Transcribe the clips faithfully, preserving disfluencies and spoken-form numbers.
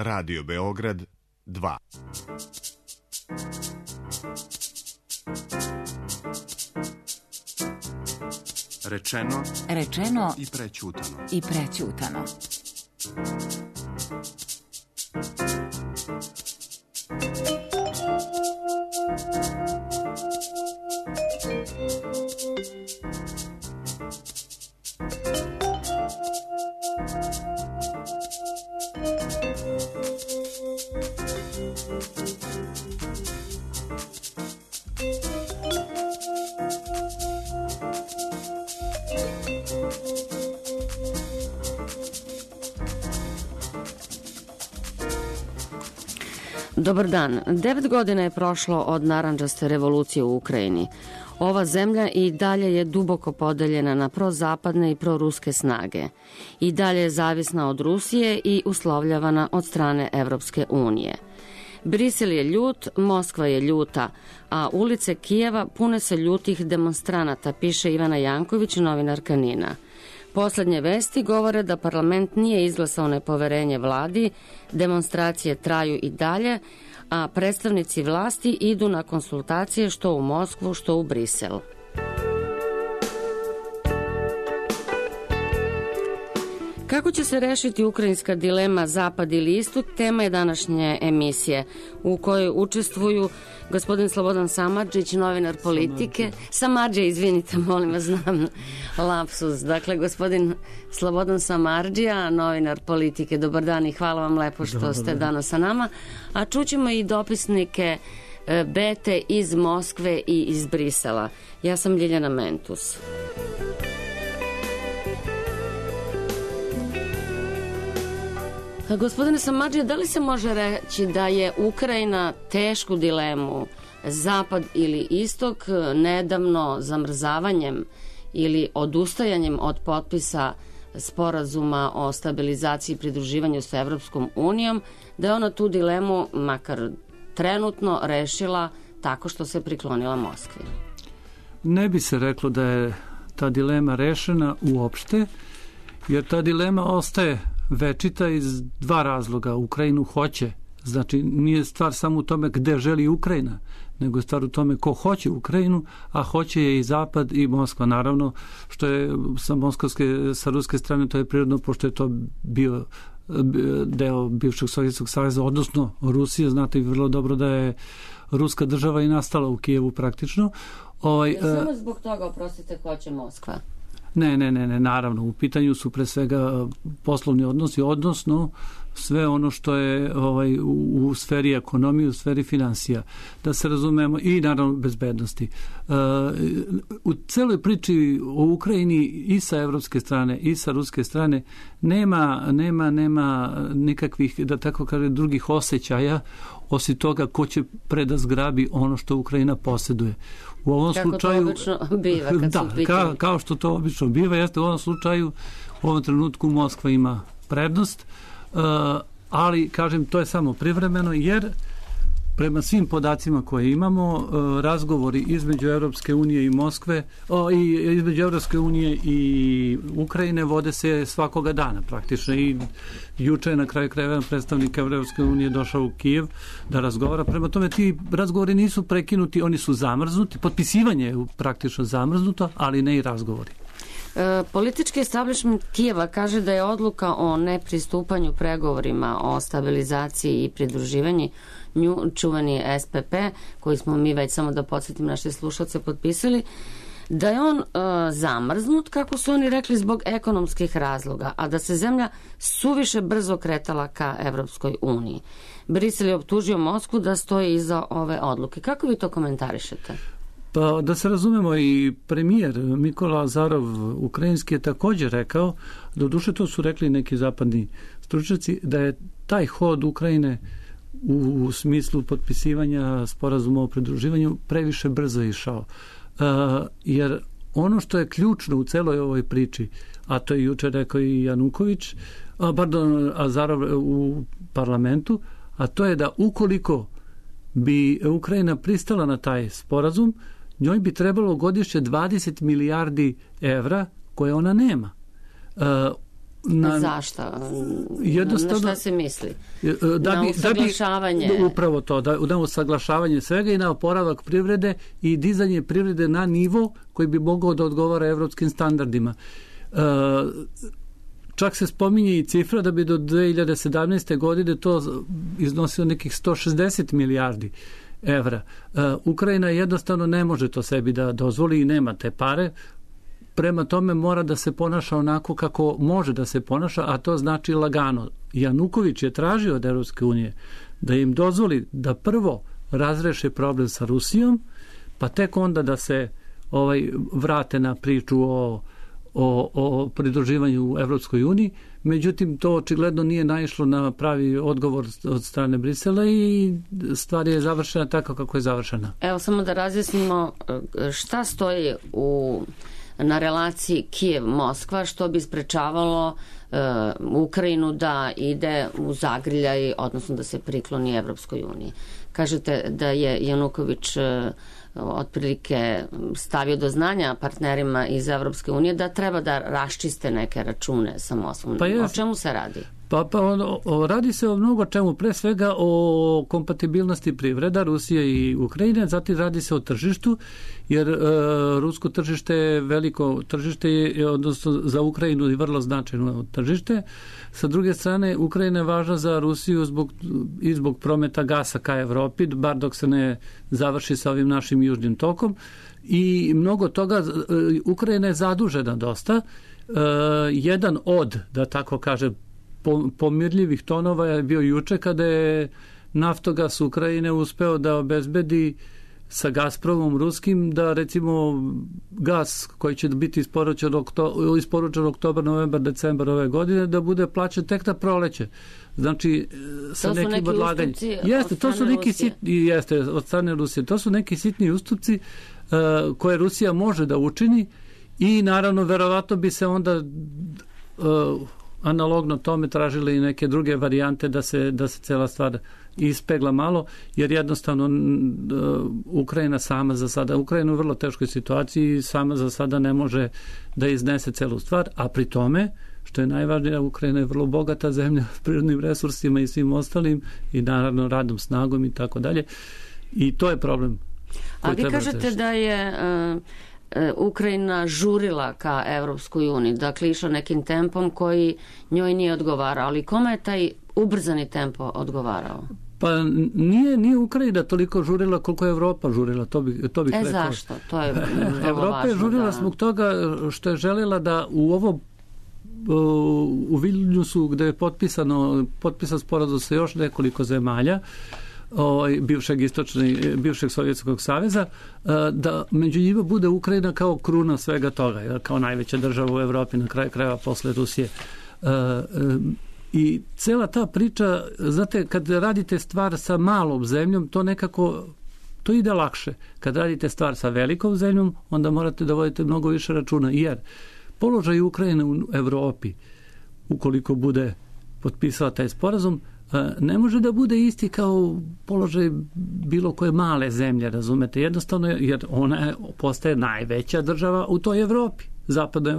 Radio Beograd dva. Rečeno, rečeno i prećutano. I prećutano. Dobar dan. Devet godina je prošlo od narandžaste revolucije u Ukrajini. Ova zemlja i dalje je duboko podeljena na prozapadne i proruske snage. I dalje je zavisna od Rusije i uslovljavana od strane Evropske unije. Brisel je ljut, Moskva je ljuta, a ulice Kijeva pune se ljutih demonstranata, piše Ivana Janković, novinarka NIN-a. Poslednje vesti govore da parlament nije izglasao nepoverenje vladi, demonstracije traju i dalje, a predstavnici vlasti idu na konsultacije što u Moskvu, što u Brisel. Kako će se rešiti ukrajinska dilema Zapad ili Istok, tema je današnje emisije u kojoj učestvuju gospodin Slobodan Samardžić, novinar Politike. Samardžija, izvinite, molim vas, znam lapsus. Dakle, gospodin Slobodan Samardžija, novinar Politike. Dobar dan i hvala vam lepo što Dobar ste dan. danas sa nama. A čućemo i dopisnike Bete iz Moskve i iz Brisela. Ja sam Ljiljana Mentus. Gospodine Samardžija, da li se može reći da je Ukrajina tešku dilemu Zapad ili Istok nedavno zamrzavanjem ili odustajanjem od potpisa sporazuma o stabilizaciji i pridruživanju sa Evropskom unijom, da je ona tu dilemu, makar trenutno, rešila tako što se priklonila Moskvi? Ne bi se reklo da je ta dilema rešena uopšte, jer ta dilema ostaje večita iz dva razloga. Ukrajinu hoće, znači nije stvar samo u tome gde želi Ukrajina, nego je stvar u tome ko hoće Ukrajinu, a hoće je i Zapad i Moskva, naravno, što je sa moskovske, sa ruske strane to je prirodno, pošto je to bio deo bivšeg Sovjetskog saveza, odnosno Rusije. Znate vrlo dobro da je ruska država i nastala u Kijevu praktično. Ovaj, ja samo zbog toga, oprostite, hoće Moskva? Ne, ne, ne, ne, naravno. U pitanju su pre svega poslovni odnosi, odnosno sve ono što je ovaj, u, u sferi ekonomije, u sferi finansija. Da se razumemo, i naravno bezbednosti. Uh, u celoj priči o Ukrajini i sa evropske strane i sa ruske strane nema, nema, nema nikakvih, da tako kaže, drugih osjećaja osim toga ko će preda zgrabi ono što Ukrajina posjeduje. U ovom Kako slučaju, to obično biva kad da, su pitanje. Ka, kao što to obično biva, jeste u ovom slučaju, u ovom trenutku Moskva ima prednost, uh, ali, kažem, to je samo privremeno, jer prema svim podacima koje imamo, uh, razgovori između Evropske unije i Moskve, o, i između Evropske unije i Ukrajine vode se svakoga dana praktično, i juče je na kraju krajeva predstavnik Evropske unije došao u Kijev da razgovara. Prema tome, ti razgovori nisu prekinuti, oni su zamrznuti, potpisivanje je praktično zamrznuto, ali ne i razgovori. E, politički establishment Kijeva kaže da je odluka o nepristupanju pregovorima o stabilizaciji i pridruživanju, nju čuvani S P P, koji smo mi već, samo da podsjetim naše slušalce, potpisali, da je on e, zamrznut, kako su oni rekli, zbog ekonomskih razloga, a da se zemlja suviše brzo kretala ka Evropskoj uniji. Brisel je optužio Moskvu da stoji iza ove odluke. Kako vi to komentarišete? Pa da se razumemo, i premijer Mikola Azarov ukrajinski je također rekao, doduše to su rekli neki zapadni stručnjaci, da je taj hod Ukrajine u, u smislu potpisivanja sporazuma o pridruživanju previše brzo išao. Uh, jer ono što je ključno u celoj ovoj priči, a to je juče rekao i Januković, a, pardon, Azarov u parlamentu, a to je da ukoliko bi Ukrajina pristala na taj sporazum, njoj bi trebalo godišnje dvadeset milijardi evra koje ona nema. Uh, Na, Zašto? Jednostavno, na šta se misli? Da na bi, usaglašavanje? Da bi, upravo to, da, na usaglašavanje svega i na oporavak privrede i dizanje privrede na nivo koji bi mogao da odgovara evropskim standardima. E, čak se spominje i cifra da bi do dve hiljade sedamnaeste. godine to iznosilo nekih sto šezdeset milijardi evra. E, Ukrajina jednostavno ne može to sebi da dozvoli i nema te pare. Prema tome mora da se ponaša onako kako može da se ponaša, a to znači lagano. Januković je tražio od Evropske unije da im dozvoli da prvo razreše problem sa Rusijom, pa tek onda da se ovaj vrate na priču o, o, o pridruživanju u Evropskoj uniji. Međutim, to očigledno nije naišlo na pravi odgovor od strane Brisela i stvar je završena tako kako je završena. Evo samo da razjasnimo šta stoji u na relaciji Kijev-Moskva, što bi sprečavalo uh, Ukrajinu da ide u zagrljaj, odnosno da se prikloni Evropskoj uniji. Kažete da je Januković uh, otprilike stavio do znanja partnerima iz Evropske unije da treba da raščiste neke račune sa Moskvom. Pa o čemu se radi? Pa, pa o, o, radi se o mnogo čemu, pre svega o kompatibilnosti privreda Rusije i Ukrajine, zatim radi se o tržištu, jer e, rusko tržište je veliko tržište, odnosno za Ukrajinu je vrlo značajno tržište. Sa druge strane, Ukrajina je važna za Rusiju zbog, i zbog prometa gasa ka Evropi, bar dok se ne završi sa ovim našim južnim tokom. I mnogo toga, Ukrajina je zadužena dosta. E, jedan od, da tako kažem, pomirljivih tonova je bio juče kada je Naftogas Ukrajine uspeo da obezbedi sa Gazpromom ruskim da recimo gas koji će biti isporučen, okto, isporučen oktobar, novembar, decembar ove godine da bude plaćen tek na proleće. Znači sa to nekim odlaganjem. Jeste, to su neki sitni, jeste od strane Rusije. To su neki sitni ustupci uh, koje Rusija može da učini i naravno verovatno bi se onda uh, analogno tome tražili i neke druge varijante da se, da se cela stvar ispegla malo, jer jednostavno uh, Ukrajina sama za sada, Ukrajina u vrlo teškoj situaciji sama za sada ne može da iznese celu stvar, a pri tome, što je najvažnije, Ukrajina je vrlo bogata zemlja s prirodnim resursima i svim ostalim i naravno radnom snagom i tako dalje. I to je problem. A vi kažete tešiti. Da je uh... Ukrajina žurila ka Evropskoj uniji, dakle išla nekim tempom koji njoj nije odgovarao, ali kome je taj ubrzani tempo odgovarao? Pa nije, nije Ukrajina toliko žurila koliko je Evropa žurila, to, bi, to bih e, rekao. E zašto? To je vrlo Evropa važno. je žurila da... zbog toga što je željela da u ovo u Vilniusu gde je potpisano, potpisan sporazum sa još nekoliko zemalja Ovaj, bivšeg istočni, bivšeg Sovjetskog saveza, da među njima bude Ukrajina kao kruna svega toga, kao najveća država u Evropi na kraju krajeva posle Rusije. I cela ta priča, znate, kad radite stvar sa malom zemljom, to nekako to ide lakše. Kad radite stvar sa velikom zemljom, onda morate da vodite mnogo više računa, jer položaj Ukrajine u Evropi, ukoliko bude potpisala taj sporazum, ne može da bude isti kao položaj bilo koje male zemlje, razumete, jednostavno, jer ona postaje najveća država u toj Evropi, zapadnoj,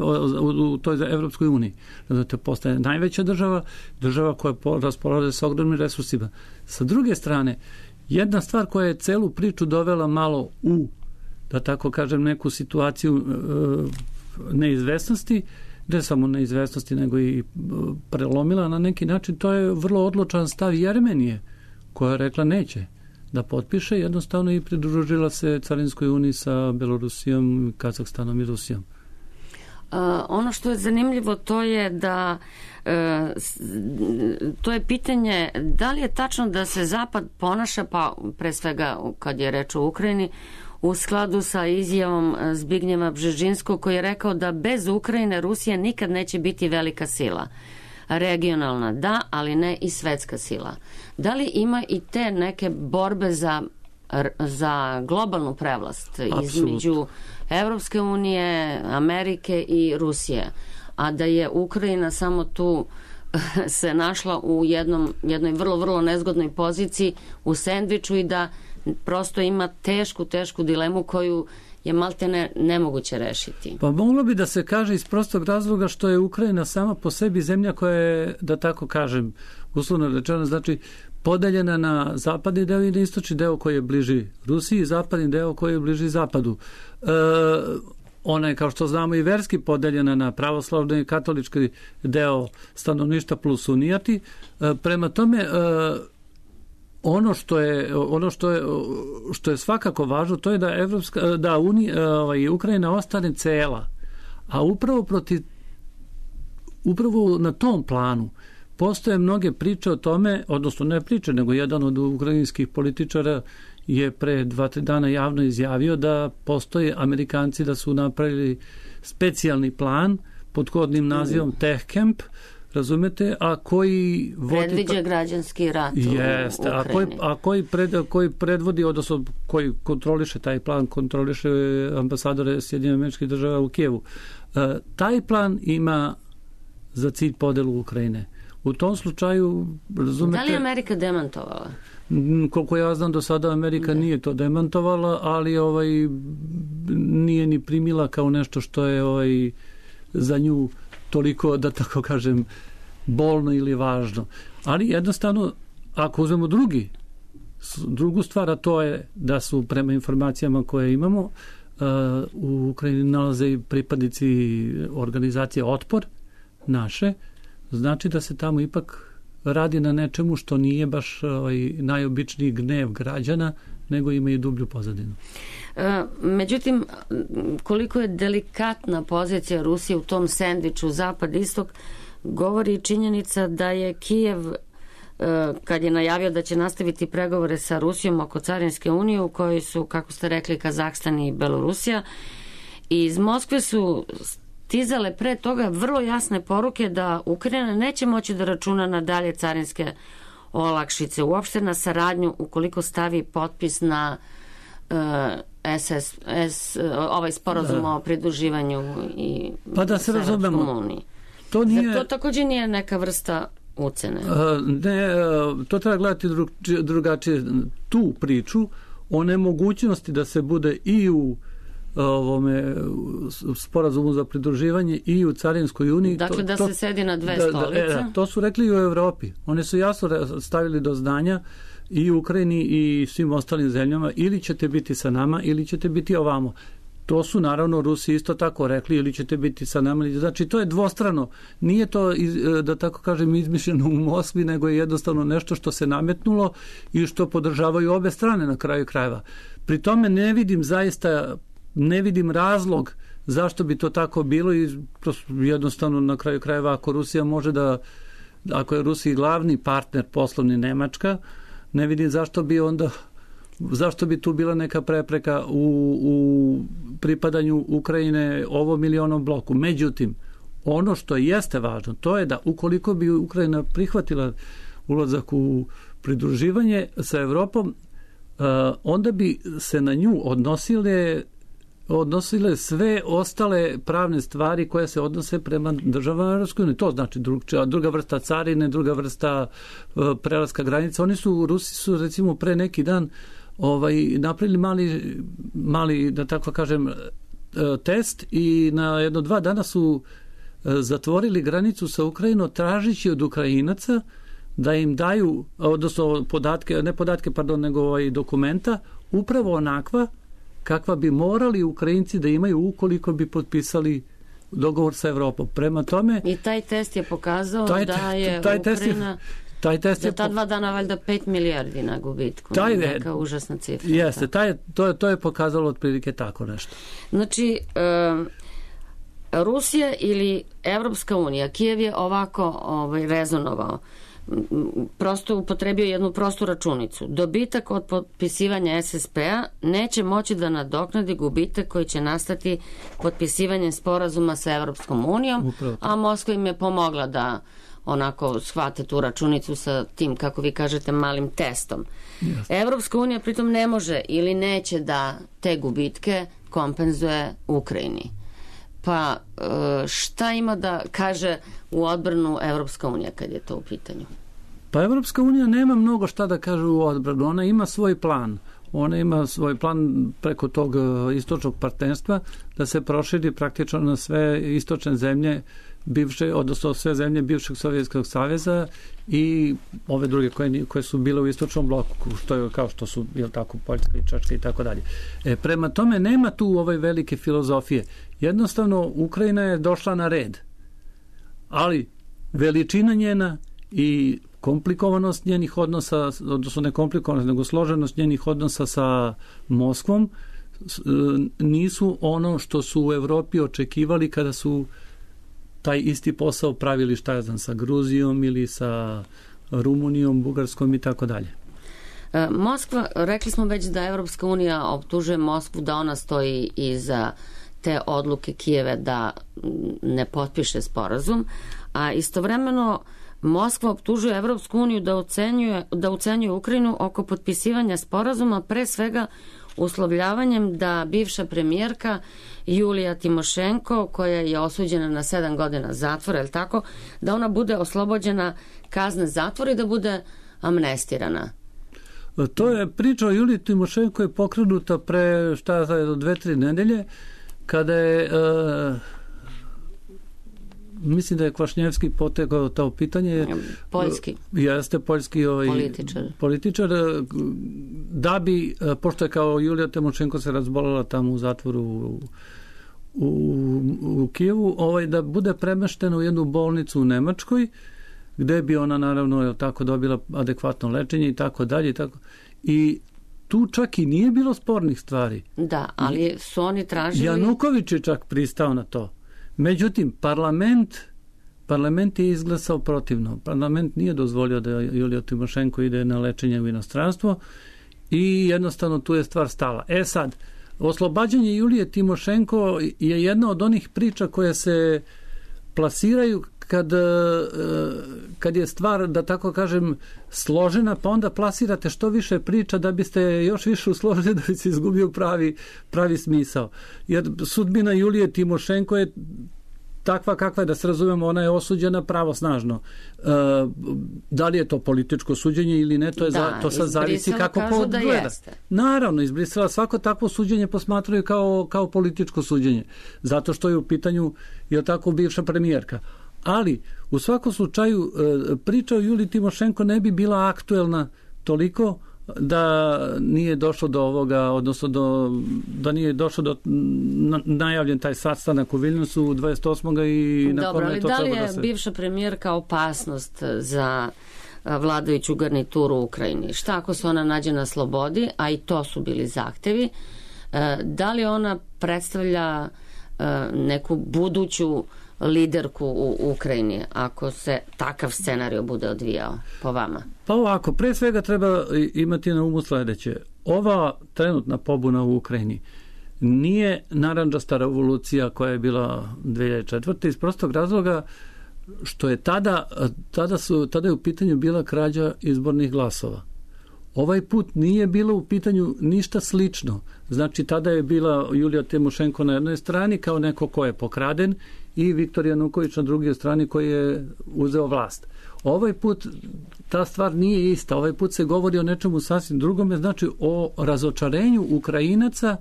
u toj Evropskoj uniji. Razumete, postaje najveća država, država koja raspolaže sa ogromnim resursima. Sa druge strane, jedna stvar koja je celu priču dovela malo u, da tako kažem, neku situaciju e, neizvesnosti, ne samo neizvesnosti, nego i prelomila na neki način, to je vrlo odlučan stav Jermenije, koja je rekla neće da potpiše, jednostavno i pridružila se Carinskoj uniji sa Belorusijom, Kazahstanom i Rusijom. Uh, ono što je zanimljivo to je da uh, to je pitanje da li je tačno da se Zapad ponaša, pa pre svega kad je reč o Ukrajini, u skladu sa izjavom Zbignjeva Bžežinskog koji je rekao da bez Ukrajine Rusija nikad neće biti velika sila. Regionalna da, ali ne i svetska sila. Da li ima i te neke borbe za, za globalnu prevlast Absolut. Između Evropske unije, Amerike i Rusije, a da je Ukrajina samo tu se našla u jednom, jednoj vrlo, vrlo nezgodnoj poziciji u sendviču i da prosto ima tešku, tešku dilemu koju je malte ne, nemoguće rešiti. Pa moglo bi da se kaže iz prostog razloga što je Ukrajina sama po sebi zemlja koja je, da tako kažem, uslovno rečeno, znači podeljena na zapadni deo i na istočni deo koji je bliži Rusiji i zapadni deo koji je bliži zapadu. E, ona je, kao što znamo, i verski podeljena na pravoslavni i katolički deo stanovništva plus unijati. E, prema tome, e, ono što je ono što je što je svakako važno, to je da Evropska da Uni, ovaj, Ukrajina ostane cela. A upravo protiv upravo na tom planu postoje mnoge priče o tome, odnosno ne priče, nego jedan od ukrajinskih političara je pre dva, tri dana javno izjavio da postoje Amerikanci da su napravili specijalni plan pod kodnim nazivom Tech Camp, razumete, a koji vodi... Predviđa građanski rat Jeste, u Ukrajini. A koji, a koji, pred, koji predvodi, odnosno koji kontroliše taj plan, kontroliše ambasadore Sjedinjenih Američkih Država u Kijevu. E, taj plan ima za cilj podelu Ukrajine. U tom slučaju, razumete... Da li je Amerika demantovala? Koliko ja znam, do sada Amerika ne. nije to demantovala, ali ovaj nije ni primila kao nešto što je ovaj za nju toliko, da tako kažem, bolno ili važno. Ali jednostavno, ako uzmemo drugi, drugu stvar, a to je da su prema informacijama koje imamo, uh, u Ukrajini nalaze i pripadnici organizacije Otpor, naše, znači da se tamo ipak radi na nečemu što nije baš ovaj, najobičniji gnev građana, nego ima i dublju pozadinu. E, međutim, koliko je delikatna pozicija Rusije u tom sendviču zapad-istok, govori činjenica da je Kijev, e, kad je najavio da će nastaviti pregovore sa Rusijom oko Carinske unije, u kojoj su, kako ste rekli, Kazahstan i Belorusija, i iz Moskve su stizale pre toga vrlo jasne poruke da Ukrajina neće moći da računa na dalje carinske olakšice, uopšte na saradnju ukoliko stavi potpis na uh, S S, S, ovaj sporazum o pridruživanju i pa da se razumemo, to nije... to također nije neka vrsta ucene. Uh, ne, uh, to treba gledati drug, drugačije tu priču o nemogućnosti da se bude i u ovome sporazumu za pridruživanje i u Carinskoj uniji. Dakle, to, da to, se sedi na dve da, stolice. Da, to su rekli i u Evropi. Oni su jasno stavili do znanja i u Ukrajini i svim ostalim zemljama, ili ćete biti sa nama ili ćete biti ovamo. To su naravno Rusi isto tako rekli, ili ćete biti sa nama. Znači, to je dvostrano. Nije to, da tako kažem, izmišljeno u Moskvi, nego je jednostavno nešto što se nametnulo i što podržavaju obe strane na kraju krajeva. Pri tome ne vidim zaista ne vidim razlog zašto bi to tako bilo i jednostavno na kraju krajeva ako Rusija može da, ako je Rusiji glavni partner poslovni Nemačka, ne vidim zašto bi onda zašto bi tu bila neka prepreka u, u pripadanju Ukrajine ovom ili onom bloku. Međutim, ono što jeste važno, to je da ukoliko bi Ukrajina prihvatila ulazak u pridruživanje sa Evropom, onda bi se na nju odnosile odnosile sve ostale pravne stvari koje se odnose prema državama Europske unije. To znači druga, druga vrsta carine, druga vrsta uh, prelaska granica. Oni su, Rusi su recimo pre neki dan ovaj, napravili mali, mali, da tako kažem, uh, test i na jedno dva dana su uh, zatvorili granicu sa Ukrajinom tražići od Ukrajinaca da im daju, odnosno podatke, ne podatke, pardon, nego ovaj, dokumenta, upravo onakva kakva bi morali Ukrajinci da imaju ukoliko bi potpisali dogovor sa Evropom. Prema tome... I taj test je pokazao taj, da je taj Ukrajina... Je, taj test da je... ta dva dana valjda pet milijardi na gubitku. Taj, neka užasna cifra. Jeste, taj, to, to je pokazalo otprilike tako nešto. Znači, um, Rusija ili Evropska unija, Kijev je ovako ovaj, rezonovao, prosto upotrebio jednu prostu računicu. Dobitak od potpisivanja S S P-a neće moći da nadoknadi gubitak koji će nastati potpisivanjem sporazuma sa Evropskom unijom, a Moskva im je pomogla da onako shvate tu računicu sa tim, kako vi kažete, malim testom. Yes. Evropska unija pritom ne može ili neće da te gubitke kompenzuje Ukrajini. Pa šta ima da kaže u odbranu Evropska unija kad je to u pitanju? Pa Evropska unija nema mnogo šta da kaže u odbranu. Ona ima svoj plan. ona ima svoj plan preko tog istočnog partnerstva da se proširi praktično na sve istočne zemlje bivše, odnosno sve zemlje bivšeg Sovjetskog saveza i ove druge koje, koje su bile u istočnom bloku, što je, kao što su, jel tako, Poljska i Češka i tako dalje. E, prema tome nema tu ove velike filozofije. Jednostavno, Ukrajina je došla na red. Ali veličina njena i komplikovanost njenih odnosa, odnosno ne komplikovanost, nego složenost njenih odnosa sa Moskvom nisu ono što su u Evropi očekivali kada su taj isti posao pravili, šta ja znam, sa Gruzijom ili sa Rumunijom, Bugarskom i tako dalje. Moskva, rekli smo već da Evropska unija optužuje Moskvu da ona stoji iza te odluke Kijeva da ne potpiše sporazum, a istovremeno Moskva optužuje Evropsku uniju da ucenjuje, da ucenjuje Ukrajinu oko potpisivanja sporazuma, pre svega uslovljavanjem da bivša premijerka Julija Timošenko, koja je osuđena na sedam godina zatvora, je li tako, da ona bude oslobođena kazne zatvora i da bude amnestirana. To je priča o Juliji Timošenko je pokrenuta pre šta je do dve, tri nedelje, kada je uh, mislim da je Kvašnjevski potegao to pitanje. Poljski. Jeste, poljski ovaj, političar. političar. Da bi, pošto je kao Julija Timošenko se razbolala tamo u zatvoru u, u, u Kijevu, ovaj, da bude premeštena u jednu bolnicu u Nemačkoj, gde bi ona naravno je tako dobila adekvatno lečenje i tako dalje i tako. I tu čak i nije bilo spornih stvari. Da, ali su oni tražili... Januković je čak pristao na to. Međutim, parlament parlament je izglasao protivno. Parlament nije dozvolio da Julija Timošenko ide na lečenje u inostranstvo i jednostavno tu je stvar stala. E sad, oslobađanje Julije Timošenko je jedna od onih priča koje se plasiraju kad, kad je stvar, da tako kažem, složena, pa onda plasirate što više priča da biste još više usložili da bi se izgubio pravi, pravi smisao. Jer sudbina Julije Timošenko je takva kakva je, da se razumemo, ona je osuđena pravosnažno. E, da li je to političko suđenje ili ne, to, je da, za, to sad zavisi kako ko da gleda. Jeste. Naravno, iz Brisela svako takvo suđenje posmatraju kao, kao političko suđenje. Zato što je u pitanju, je tako, bivša premijerka. Ali, u svakom slučaju, priča o Juliji Timošenko ne bi bila aktuelna toliko da nije došlo do ovoga, odnosno do, da nije došlo do najavljen taj sastanak u Vilniusu dvadeset osmog i na Dobro, kome ali to da li treba je da se... bivša premijerka opasnost za vladajuću garnituru u Ukrajini? Šta ako se ona nađe na slobodi, a i to su bili zahtevi, da li ona predstavlja neku buduću liderku u Ukrajini, ako se takav scenarij bude odvijao po vama? Pa ovako, pre svega treba imati na umu sledeće. Ova trenutna pobuna u Ukrajini nije narandžasta revolucija koja je bila dve hiljade četvrte iz prostog razloga što je tada, tada, su, tada je u pitanju bila krađa izbornih glasova. Ovaj put nije bilo u pitanju ništa slično. Znači, tada je bila Julija Timošenko na jednoj strani kao neko ko je pokraden i Viktor Januković na drugoj strani koji je uzeo vlast. Ovaj put ta stvar nije ista. Ovaj put se govori o nečemu sasvim drugome, znači o razočarenju Ukrajinaca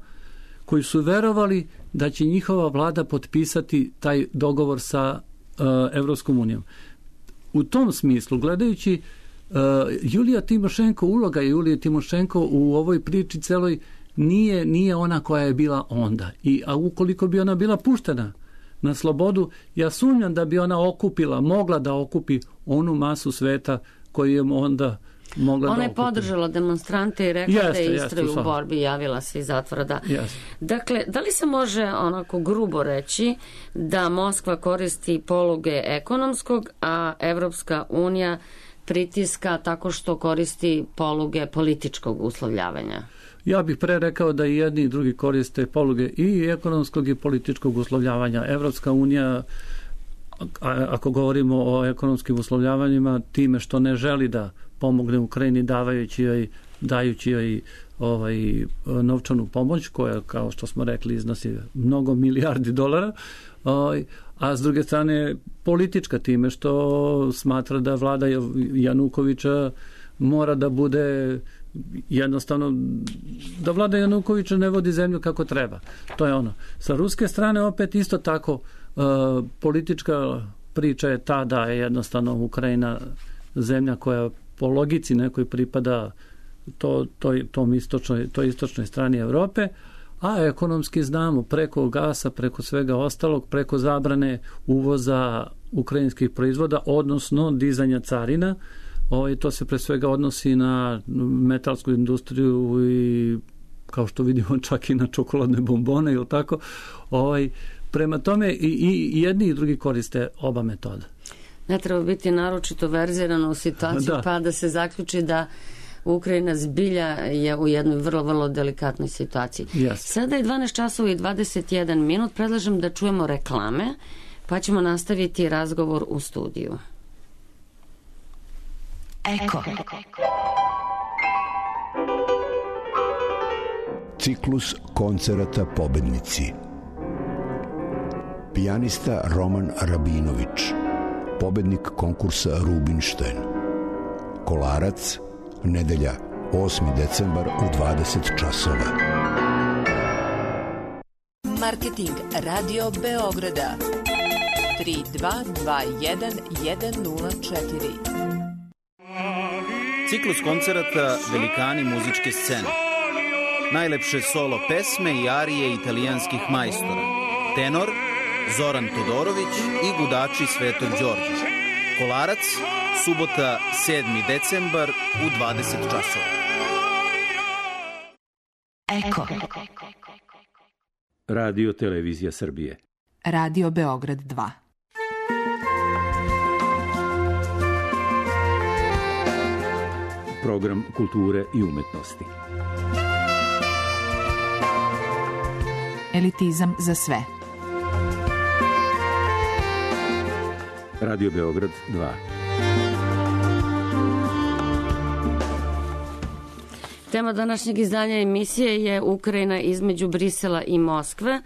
koji su verovali da će njihova vlada potpisati taj dogovor sa uh, Evropskom unijom. U tom smislu, gledajući Uh, Julija Timošenko, uloga Julije Timošenko u ovoj priči celoj nije, nije ona koja je bila onda. I, a ukoliko bi ona bila puštena na slobodu, ja sumnjam da bi ona okupila, mogla da okupi onu masu sveta koju je onda mogla da okupi. Ona je podržala demonstrante i rekla jeste, da je istraju jeste, u borbi, javila se iz zatvora. Da. Jeste. Dakle, da li se može onako grubo reći da Moskva koristi poluge ekonomskog, a Evropska unija pritiska tako što koristi poluge političkog uslovljavanja? Ja bih pre rekao da i jedni i drugi koriste poluge i ekonomskog i političkog uslovljavanja. Evropska unija, ako govorimo o ekonomskim uslovljavanjima, time što ne želi da pomogne Ukrajini davajući joj, dajući joj ovaj, novčanu pomoć, koja, kao što smo rekli, iznosi mnogo milijardi dolara, ovaj, a s druge strane politička time što smatra da vlada Janukovića mora da bude jednostavno da vlada Janukovića ne vodi zemlju kako treba. To je ono. Sa ruske strane opet isto tako uh, politička priča je ta da je jednostavno Ukrajina zemlja koja po logici nekoj pripada to, to, tom istočnoj, toj istočnoj strani Evrope, a ekonomski znamo preko gasa, preko svega ostalog, preko zabrane uvoza ukrajinskih proizvoda, odnosno dizanja carina. Ovaj, to se pre svega odnosi na metalsku industriju i kao što vidimo čak i na čokoladne bombone ili tako. Ovaj, prema tome i, i jedni i drugi koriste oba metoda. Ne treba biti naročito verziran u situaciji da. Pa da se zaključi da Ukrajina zbilja je u jednoj vrlo, vrlo delikatnoj situaciji. Yes. Sada je dvanaest časova i dvadeset jedan minut. Predlažem da čujemo reklame, pa ćemo nastaviti razgovor u studiju. Eko. Ciklus koncerata pobednici. Pijanista Roman Rabinović, pobednik konkursa Rubinštajn. Kolarac, nedelja osmi decembar u dvadeset časova. Marketing Radio Beograda tri dva dva jedan jedan nula četiri. Ciklus koncerata Velikani muzičke scene. Najlepše solo pesme i arije italijanskih majstora. Tenor Zoran Todorović i gudači Svetog Đorđa. Kolarac, subota sedmi decembar u dvadeset časova. Eko. Radio Televizija Srbije. Radio Beograd dva. Program kulture i umetnosti. Elitizam za sve. Radio Beograd dva. Tema današnjeg izdanja emisije je Ukrajina između Brisela i Moskve. E,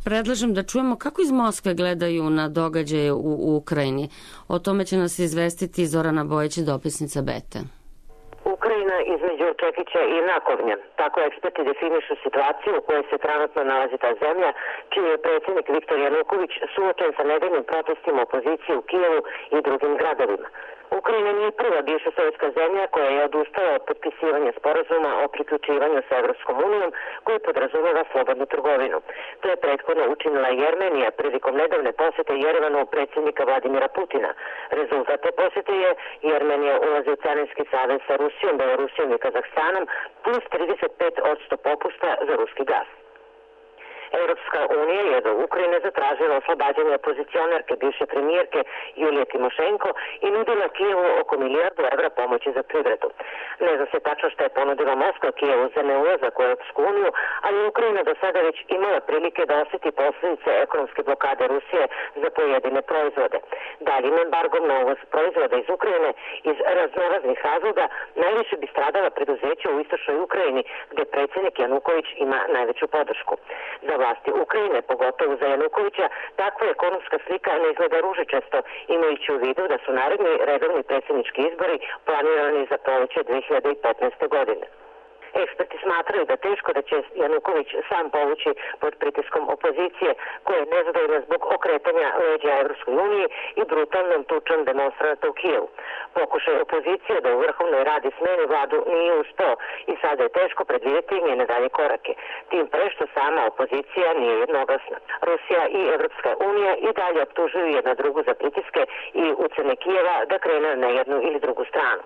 predlažem da čujemo kako iz Moskve gledaju na događaje u, u Ukrajini. O tome će nas izvestiti Zorana Bojić, dopisnica Bete. Ukrajina između čekića i nakovnja. Tako eksperti definišu situaciju u kojoj se trenutno nalazi ta zemlja, čiji je predsjednik Viktor Januković suočen sa nedeljnim protestima opozicije u Kijevu i drugim gradovima. Ukrajina nije prva bivša sovjetska zemlja koja je odustala od potpisivanja sporazuma o priključivanju sa Evropskom unijom koji podrazumeva slobodnu trgovinu. To je prethodno učinila i Jermenija prilikom nedavne posete Jerevanu predsjednika Vladimira Putina. Rezultat te posete je Jermenija ulazi u carinski savez sa Rusijom, Belorusijom i Kazahstanom plus trideset pet posto popusta za ruski gas. Europska unija je do Ukrajine zatražila oslobađanje opozicionarke bivše premijerke Julije Timošenko i nudila Kijevu oko milijardu evra pomoći za privredu. Ne zna se tačno što je ponudila Moskva Kijevu za neulazak u Europsku uniju, ali Ukrajina do sada već imala prilike da osjeti posljedice ekonomske blokade Rusije za pojedine proizvode. Daljim embargom na uvoz proizvoda iz Ukrajine iz raznoraznih razloga najviše bi stradala preduzeća u istočnoj Ukrajini, gdje predsjednik Januković ima najveću podršku. Za vlasti Ukrajine, pogotovo za Janukovića, takva ekonomska slika ne izgleda ružičasto, imajući u vidu da su naredni redovni predsjednički izbori planirani za proleće dve hiljade petnaeste. godine. Eksperti smatraju da teško da će Januković sam povući pod pritiskom opozicije, koja je nezadovoljna zbog okretanja leđa Evropskoj uniji i brutalnom tučom demonstranata u Kijevu. Pokušaj opozicije da u Vrhovnoj radi smeni vladu nije uspeo i sada je teško predvidjeti njene dalje korake. Tim pre što sama opozicija nije jednoglasna. Rusija i Evropska unija i dalje optužuju jedna drugu za pritiske i ucene Kijeva da krene na jednu ili drugu stranu.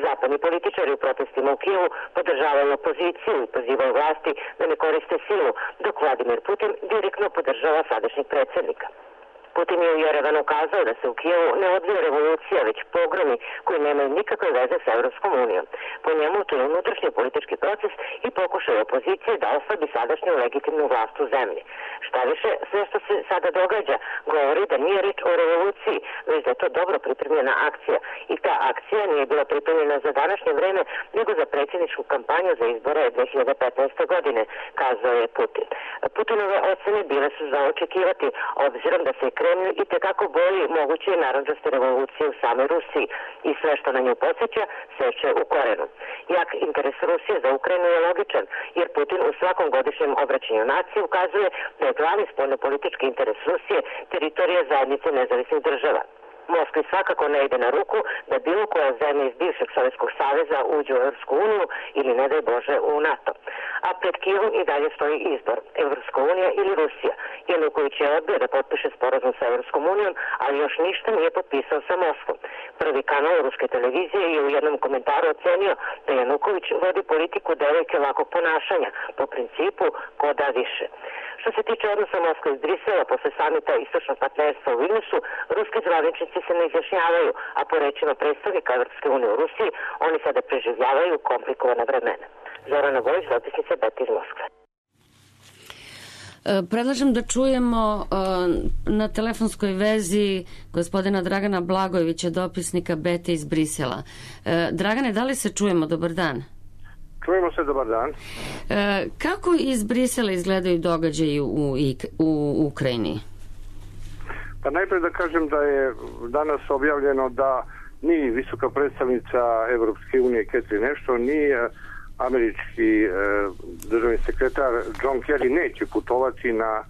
Zapadni političari u protestima u Kijevu podržavaju opoziciju i pozivaju vlasti da ne koriste silu, dok Vladimir Putin direktno podržava sadašnjeg predsjednika. Putin je u Jerevanu kazao da se u Kijevu ne odvija revolucija, već pogromi koji nemaju nikakve veze sa Evropskom unijom. Po njemu to je unutrašnji politički proces i pokušaj opozicije da oslabi sadašnju legitimnu vlast u zemlji. Šta više, sve što se sada događa govori da nije riječ o revoluciji, već da je to dobro pripremljena akcija. I ta akcija nije bila pripremljena za današnje vreme, nego za predsjedničku kampanju za izbore dve hiljade petnaeste. godine, kazao je Putin. Putinove ocene bile su za očekivati, obzirom da se Kremlju i tekako boji moguće narandžaste revolucije u samoj Rusiji i sve što na nju podsjeća seče u korenu. Jak interes Rusije za Ukrajinu je logičan, jer Putin u svakom godišnjem obraćanju nacije ukazuje da je glavni spoljnopolitički interes Rusije teritorija zajednice nezavisnih država. Moskvi svakako ne ide na ruku da bilo koja zemlja iz bivšeg Sovjetskog saveza uđe u Evropsku uniju ili ne daj Bože u NATO. A pred Kijevom i dalje stoji izbor, Evropska unija ili Rusija. Januković je odbio da potpiše sporazum sa Evropskom unijom, ali još ništa nije potpisao sa Moskvom. Prvi kanal ruske televizije je u jednom komentaru ocenio da Januković vodi politiku devojke lakog ponašanja, po principu ko da više. Što se tiče odnosa Moskve iz Brisela posle samita istočnog partnerstva u Vilniusu, ruski zvaničnici se ne izjašnjavaju, a po rečima predstavnika Evropske unije u Rusiji, oni sada preživljavaju komplikovana vremena. Zorana Bojić, dopisnica B E T iz Moskve. Predlažem da čujemo na telefonskoj vezi gospodina Dragana Blagojevića, dopisnika B E T iz Brisela. Dragane, da li se čujemo? Dobar dan. Čujemo se, dobar dan. Kako iz Brisela izgledaju događaji u, u Ukrajini? Pa najprej da kažem da je danas objavljeno da ni visoka predstavnica Evropske unije Catherine Ashton, ni američki državni sekretar John Kerry neće putovati na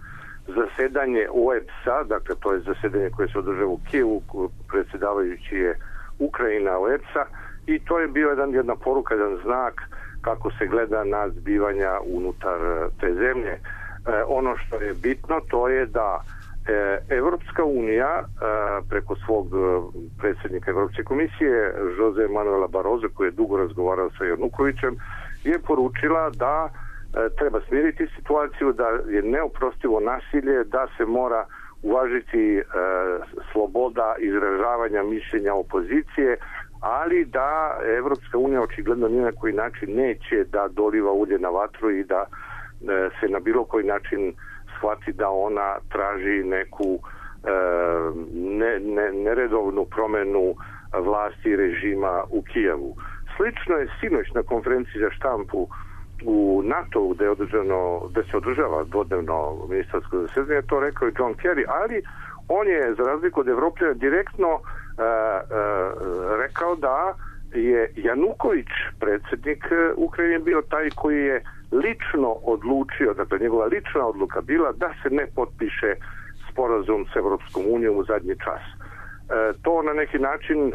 zasedanje O E B S-a, dakle to je zasedanje koje se održava u Kijevu, predsjedavajući je Ukrajina O E B S-a, i to je bio jedan, jedna poruka, jedan znak kako se gleda na zbivanja unutar te zemlje. E, ono što je bitno to je da e, Evropska unija e, preko svog predsjednika Evropske komisije Jose Manuela Barroso, koji je dugo razgovarao sa Janukovićem, je poručila da e, treba smiriti situaciju, da je neoprostivo nasilje, da se mora uvažiti e, sloboda izražavanja mišljenja opozicije, ali da Evropska unija očigledno ni na koji način neće da doliva ulje na vatru i da e, se na bilo koji način shvati da ona traži neku e, ne, ne, neredovnu promenu vlasti režima u Kijevu. Slično je sinoć na konferenciji za štampu u NATO gde, je održano, gde se održava dvodnevno ministarsko zasedanje, to rekao i John Kerry, ali on je, za razliku od Evropljana, direktno uh, uh, rekao da je Januković, predsjednik Ukrajine, bio taj koji je lično odlučio, dakle njegova lična odluka bila da se ne potpiše sporazum s Evropskom unijom u zadnji čas. E, to na neki način e,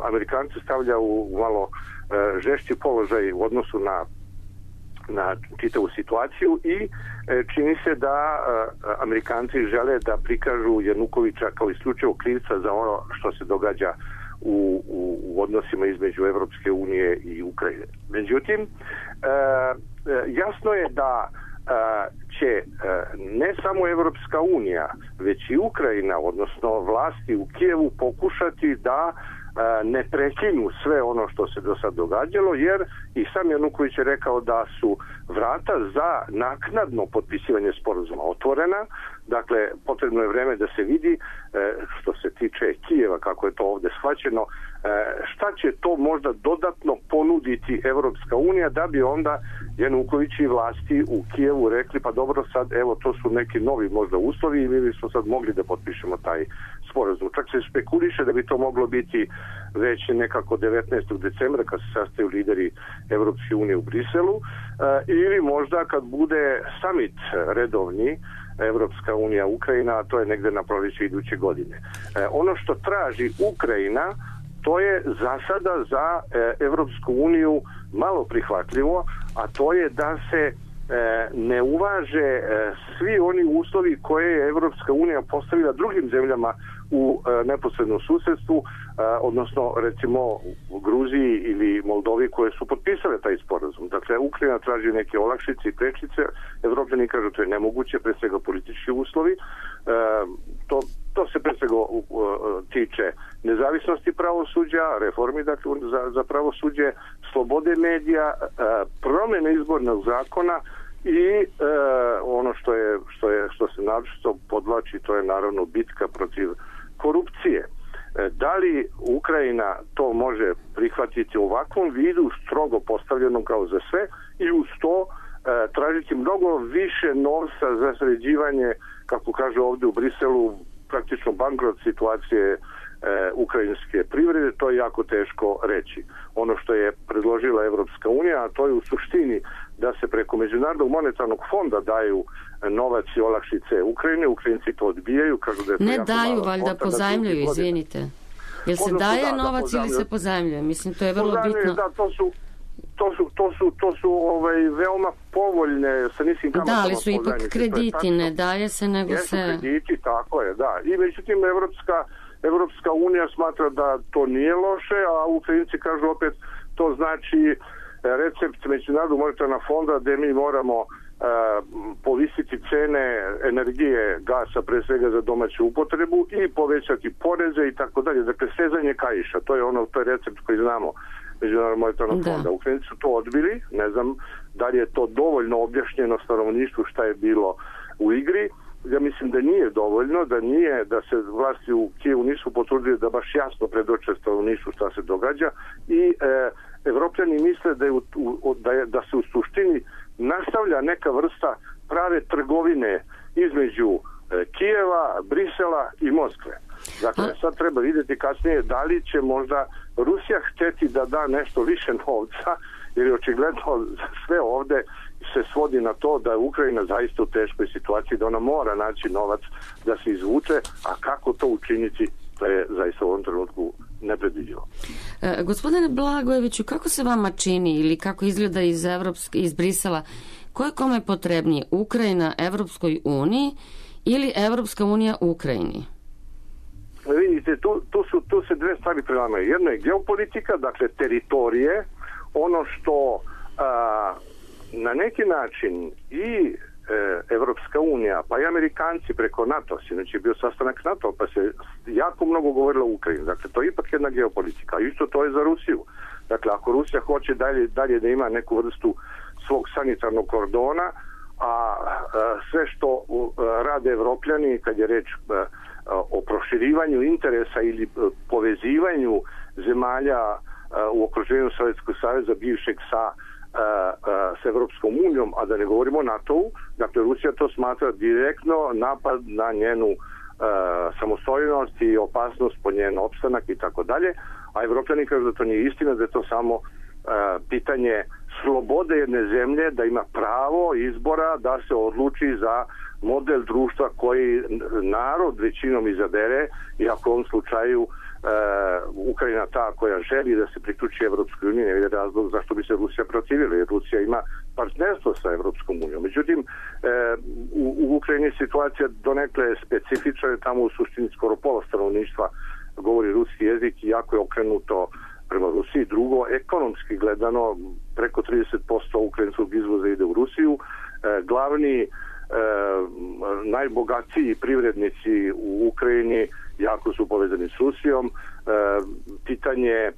Amerikanci stavlja u, u malo e, žešći položaj u odnosu na na čitavu situaciju i e, čini se da e, Amerikanci žele da prikažu Janukovića kao isključivo krivca za ono što se događa u, u, u odnosima između Evropske unije i Ukrajine. Međutim, e, jasno je da e, će e, ne samo Evropska unija, već i Ukrajina, odnosno vlasti u Kijevu, pokušati da ne prekinu sve ono što se do sad događalo, jer i sam Januković je rekao da su vrata za naknadno potpisivanje sporazuma otvorena. Dakle, potrebno je vreme da se vidi, što se tiče Kijeva, kako je to ovdje shvaćeno, šta će to možda dodatno ponuditi Evropska unija, da bi onda Januković i vlasti u Kijevu rekli, pa dobro, sad evo to su neki novi možda uslovi i mi bismo sad mogli da potpišemo taj sporazum. Čak se špekuliše da bi to moglo biti već nekako devetnaestog decembra kad se sastaju lideri Evropske unije u Briselu, ili možda kad bude summit redovni Evropska unija Ukrajina, a to je negde na proljeće iduće godine. Ono što traži Ukrajina, to je za sada za Evropsku uniju malo prihvatljivo, a to je da se ne uvaže svi oni uslovi koje je Evropska unija postavila drugim zemljama u neposrednom susjedstvu, odnosno recimo u Gruziji ili Moldovi koje su potpisale taj sporazum. Dakle, Ukrajina traži neke olakšice i prečice, Evropljani kažu to je nemoguće, pre svega politički uslovi. To, to se pre svega tiče nezavisnosti pravosuđa, reformi dakle, za, za pravosuđe, slobode medija, promjene izbornog zakona i e, ono što je što je što se naročito podvlači, to je naravno bitka protiv korupcije. E, da li Ukrajina to može prihvatiti u ovakvom vidu, strogo postavljenom kao za sve, i uz to e, tražiti mnogo više novca za sređivanje, kako kažu ovdje u Briselu, praktično bankrot situacije e, ukrajinske privrede, to je jako teško reći. Ono što je predložila Evropska unija, a to je u suštini da se preko Međunarodnog monetarnog fonda daju novac i olakšice Ukrajine. Ukrajinci to odbijaju, kažu da je to ne jako daju, valjda pozajmljuju, izvinite. Jel se Odnosno, daje da, novac da, ili se pozajmljuje? Mislim, to je vrlo pozajmljuje, bitno. Da, to su to su, to su, to su ovaj, veoma povoljne sa niskim kamatama. Da, ali su ipak krediti, ne daje se, nego Jesu se... krediti, tako je, da. I međutim, Evropska, Evropska unija smatra da to nije loše, a Ukrajinci kažu opet, to znači recept Međunarodnog monetarnog fonda gde mi moramo Uh, povisiti cene energije, gasa pre svega za domaću upotrebu i povećati poreze i tako dalje. Dakle, sezanje kaiša, to je ono, to je recept koji znamo Međunarodnog monetarnog fonda. Ukrajinci su to odbili, ne znam da li je to dovoljno objašnjeno stanovništvu šta je bilo u igri. Ja mislim da nije dovoljno, da nije, da se vlasti u Kijevu nisu potrudili da baš jasno predoče stanovništvu šta se događa i e, Evropljani misle da, je u, u, da, je, da se u suštini nastavlja neka vrsta prave trgovine između e, Kijeva, Brisela i Moskve. Dakle, sad treba vidjeti kasnije da li će možda Rusija hteti da da nešto više novca, jer je očigledno sve ovde se svodi na to da je Ukrajina zaista u teškoj situaciji, da ona mora naći novac da se izvuče, a kako to učiniti, to je zaista u ovom trenutku nepredviđivo. E, gospodine Blagojeviću, kako se vama čini ili kako izgleda iz, Evropske, iz Brisela, ko je kome potrebnije, Ukrajina Evropskoj uniji ili Evropska unija Ukrajini? Vidite, tu, tu, su, tu se dve stvari prelamaju. Jedno je geopolitika, dakle teritorije, ono što a, na neki način i e, Evropska unija, pa i Amerikanci preko NATO, sinoć je bio sastanak NATO, pa se jako mnogo govorilo o Ukrajini. Dakle, to je ipak jedna geopolitika. Isto to je za Rusiju. Dakle, ako Rusija hoće dalje, dalje da ima neku vrstu svog sanitarnog kordona, a, a sve što a, rade Evropljani, kad je reč a, o proširivanju interesa ili povezivanju zemalja a, u okruženju Sovjetskog saveza bivšeg sa s Evropskom unijom, a da ne govorimo o NATO-u, dakle Rusija to smatra direktno napad na njenu uh, samostojnost i opasnost po njen opstanak i tako dalje, a Evropljani kažu da to nije istina, da je to samo uh, pitanje slobode jedne zemlje, da ima pravo izbora da se odluči za model društva koji narod većinom izabere i ako u ovom slučaju Uh, Ukrajina ta koja želi da se priključi Evropskoj uniji, ne vidi razlog zašto bi se Rusija protivila, jer Rusija ima partnerstvo sa Evropskom unijom. Međutim, uh, u, u Ukrajini situacija donekle specifična, je tamo u suštini skoro pola stanovništva govori ruski jezik i jako je okrenuto prema Rusiji. Drugo, ekonomski gledano, preko trideset posto ukrajinskog izvoza ide u Rusiju. Uh, glavni E, najbogatiji privrednici u Ukrajini jako su povezani s Rusijom. E, pitanje e,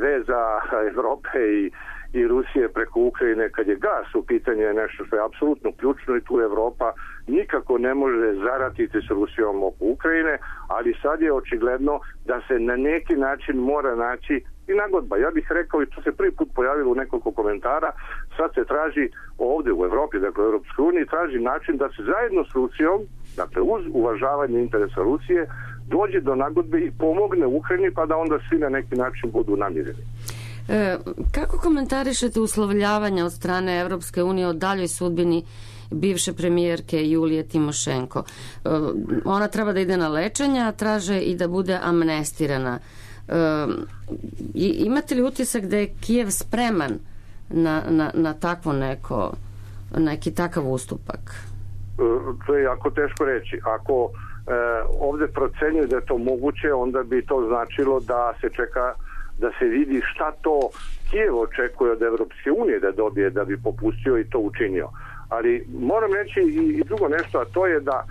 veza Evrope i, i Rusije preko Ukrajine kad je gas u pitanje je nešto što je apsolutno ključno i tu Evropa nikako ne može zaratiti s Rusijom oko Ukrajine, ali sad je očigledno da se na neki način mora naći i nagodba. Ja bih rekao, i to se prvi put pojavilo u nekoliko komentara, sad se traži ovdje u Evropi, dakle u Europskoj uniji, traži način da se zajedno s Rusijom, dakle uz uvažavanje interesa Rusije, dođe do nagodbe i pomogne Ukrajini, pa da onda svi na neki način budu namireni. E, kako komentarišete uslovljavanja od strane Evropske unije o daljoj sudbini bivše premijerke Julije Timošenko? E, ona treba da ide na lečenje, a traže i da bude amnestirana. E, imate li utisak da je Kijev spreman na, na, na takvo neko, neki takav ustupak? E, to je jako teško reći. Ako e, ovdje procenjuju da je to moguće, onda bi to značilo da se čeka da se vidi šta to Kijev očekuje od Evropske unije da dobije da bi popustio i to učinio. Ali moram reći i drugo nešto, a to je da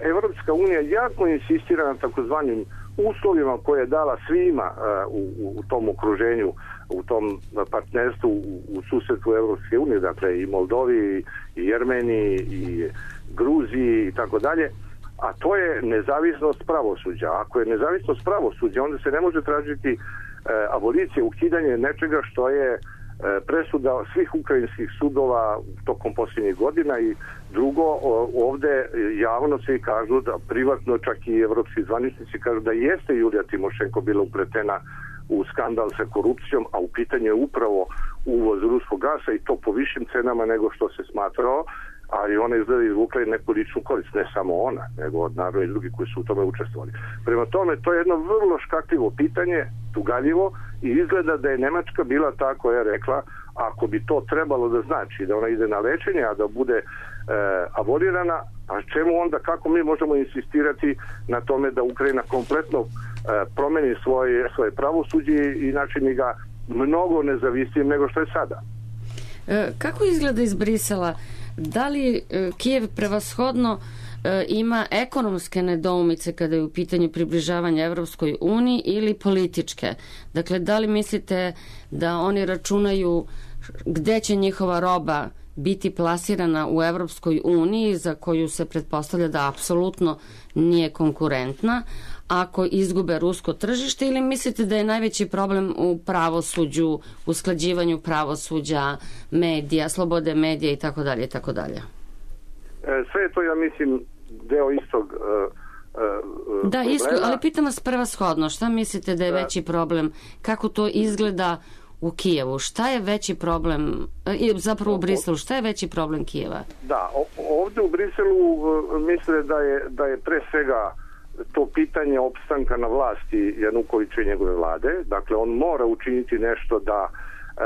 Evropska unija jako insistira na takozvanim uslovima koje je dala svima u, u tom okruženju, u tom partnerstvu u, u susedstvu Evropske unije, dakle i Moldovi, i Jermeniji, i Gruziji i tako dalje, a to je nezavisnost pravosuđa. Ako je nezavisnost pravosuđa, onda se ne može tražiti abolicije, ukidanje nečega što je presuda svih ukrajinskih sudova tokom posljednjih godina i drugo, ovde javno svi kažu da privatno, čak i evropski zvaničnici kažu da jeste Julija Timošenko bila upletena u skandal sa korupcijom, a u pitanju je upravo uvoz ruskog gasa i to po višim cenama nego što se smatrao, ali ona izgleda izvukla i neku ličnu korist, ne samo ona, nego naravno i drugi koji su u tome učestvovali. Prema tome, to je jedno vrlo škakljivo pitanje, tugaljivo, i izgleda da je Nemačka bila ta koja je rekla, ako bi to trebalo da znači da ona ide na lečenje, a da bude e, abolirana, a čemu onda, kako mi možemo insistirati na tome da Ukrajina kompletno e, promeni svoje, svoje pravosuđe i načini ga mnogo nezavisnijim nego što je sada. E, kako izgleda iz Brisela? Da li e, Kijev prevashodno e, ima ekonomske nedoumice kada je u pitanju približavanja Evropskoj uniji ili političke? Dakle, da li mislite da oni računaju gde će njihova roba biti plasirana u Evropskoj uniji, za koju se pretpostavlja da apsolutno nije konkurentna, ako izgube rusko tržište, ili mislite da je najveći problem u pravosuđu, usklađivanju pravosuđa, medija, slobode medija i tako dalje i tako dalje? Sve je to, ja mislim, deo istog uh, uh, Da, isto, ali pitam vas prevashodno, šta mislite da je da. veći problem, kako to izgleda u Kijevu? Šta je veći problem, zapravo u Briselu, šta je veći problem Kijeva? Da, ovde u Briselu misle da je, da je pre svega to pitanje opstanka na vlasti Janukovića i njegove vlade. Dakle, on mora učiniti nešto da e,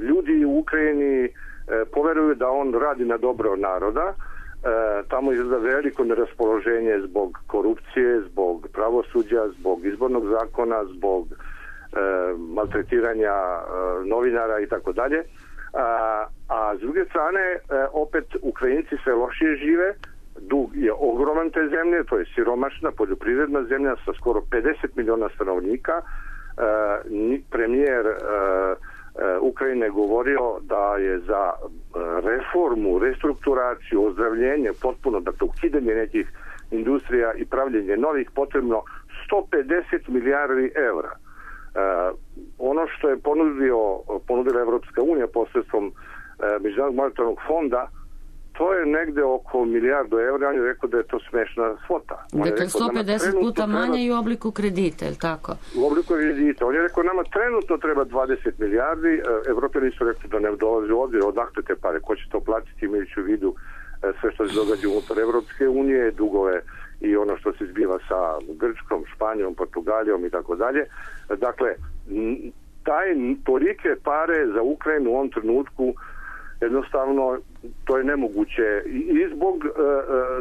ljudi u Ukrajini e, poveruju da on radi na dobro naroda. E, tamo izgleda veliko neraspoloženje zbog korupcije, zbog pravosuđa, zbog izbornog zakona, zbog e, maltretiranja e, novinara i tako dalje. A s druge strane, e, opet Ukrajinci sve lošije žive. Dug je ogroman te zemlje, to je siromašna poljoprivredna zemlja sa skoro pedeset miliona stanovnika. E, premijer e, e, Ukrajine govorio da je za reformu, restrukturaciju, ozdravljenje, potpuno, dakle ukidanje nekih industrija i pravljenje novih potrebno sto pedeset milijardi evra. E, ono što je ponudio, ponudila Evropska unija posredstvom e, Međunarodnog monetarnog fonda, to je negde oko milijardu evra, on je rekao da je to smešna svota. Dakle, sto pedeset puta manje i u obliku kredita, je li tako? U obliku kredita. On je rekao, nama trenutno treba dvadeset milijardi, Evropljani su rekli da ne dolazi u obzir, odakle te pare, ko će to platiti, imajući u vidu sve što se događa unutar Evropske unije, dugove i ono što se zbiva sa Grčkom, Španijom, Portugalijom i tako dalje. Dakle, taj tolike pare za Ukrajinu u ovom trenutku jednostavno to je nemoguće i zbog e,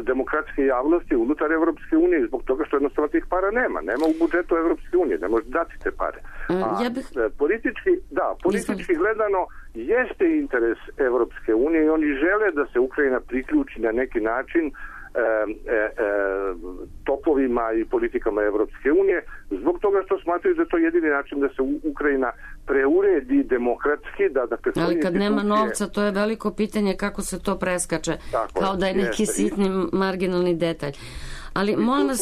demokratske javnosti unutar Evropske unije i zbog toga što jednostavno tih para nema. Nema u budžetu Evropske unije, ne može dati te pare. A ja bih... politički, da, politički gledano jeste interes Evropske unije i oni žele da se Ukrajina priključi na neki način E, e, e, topovima i politikama Evropske unije, zbog toga što smatraju da je to jedini način da se Ukrajina preuredi demokratski. Da, da Ali kad institucije... nema novca, to je veliko pitanje kako se to preskače, tako, kao da je neki jeste. sitni marginalni detalj. Ali I molim vas,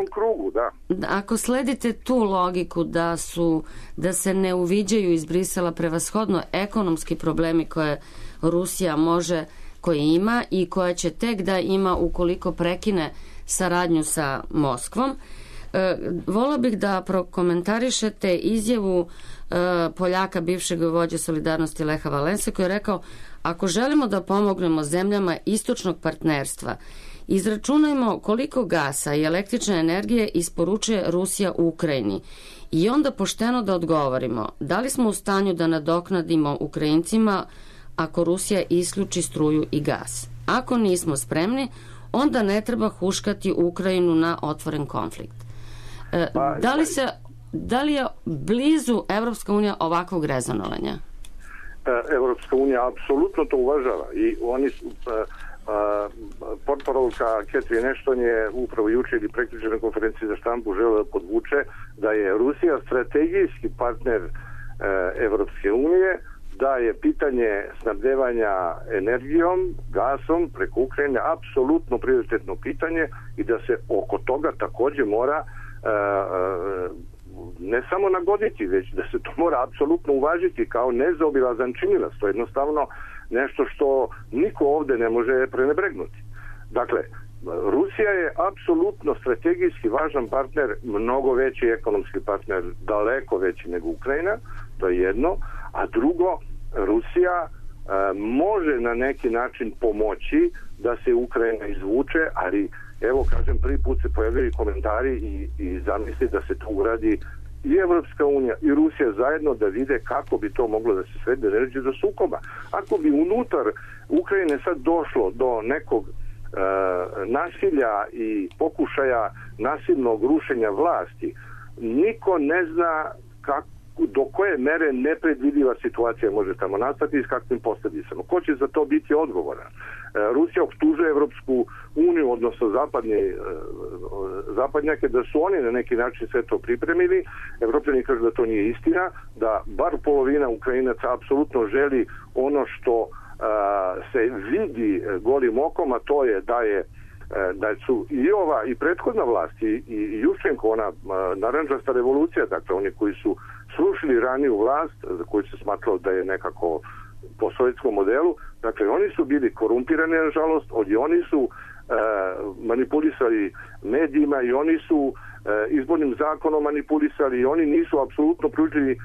u krugu, da. Ako sledite tu logiku da su da se ne uviđaju iz Brisela prevashodno ekonomski problemi koje Rusija može koje ima i koja će tek da ima ukoliko prekine saradnju sa Moskvom. E, volila bih da prokomentarišete izjavu e, Poljaka, bivšeg vođe Solidarnosti Leha Valense, koji je rekao, ako želimo da pomognemo zemljama istočnog partnerstva, izračunajmo koliko gasa i električne energije isporučuje Rusija u Ukrajini i onda pošteno da odgovorimo da li smo u stanju da nadoknadimo Ukrajincima ako Rusija isključi struju i gas. Ako nismo spremni, onda ne treba huškati Ukrajinu na otvoren konflikt. E, da, li se, da li je blizu Evropska unija ovakvog rezonovanja? Evropska unija apsolutno to uvažava i oni su... portparolka Catherine Ashton je upravo juče ili prekjuče na konferenciji za štampu želeo da podvuče da je Rusija strategijski partner Evropske unije, da je pitanje snabdevanja energijom, gasom preko Ukrajine apsolutno prioritetno pitanje i da se oko toga takođe mora uh, ne samo nagoditi, već da se to mora apsolutno uvažiti kao nezaobilazan činilac. To je jednostavno nešto što niko ovde ne može prenebregnuti. Dakle, Rusija je apsolutno strategijski važan partner, mnogo veći ekonomski partner, daleko veći nego Ukrajina, to je jedno, a drugo, Rusija e, može na neki način pomoći da se Ukrajina izvuče, ali evo kažem, prvi put se pojavljaju komentari i, i zamisli da se to uradi i Evropska unija i Rusija zajedno, da vide kako bi to moglo da se svede, ne reći do sukoba. Ako bi unutar Ukrajine sad došlo do nekog e, nasilja i pokušaja nasilnog rušenja vlasti, niko ne zna kako, do koje mere nepredvidiva situacija može tamo nastati i s kakvim posljedicama. Ko će za to biti odgovoran? Rusija optužuje Evropsku uniju, odnosno zapadnje, zapadnjake, da su oni na neki način sve to pripremili. Evropljani kažu da to nije istina, da bar polovina Ukrajinaca apsolutno želi ono što a, se vidi golim okom, a to je da je da su i ova i prethodna vlast i, i Juščenko, ona narančasta revolucija, dakle oni koji su srušili raniju vlast, za koju se smatralo da je nekako po sovjetskom modelu, dakle oni su bili korumpirani, nažalost, i oni su e, manipulisali medijima i oni su e, izbornim zakonom manipulisali i oni nisu apsolutno pružili e,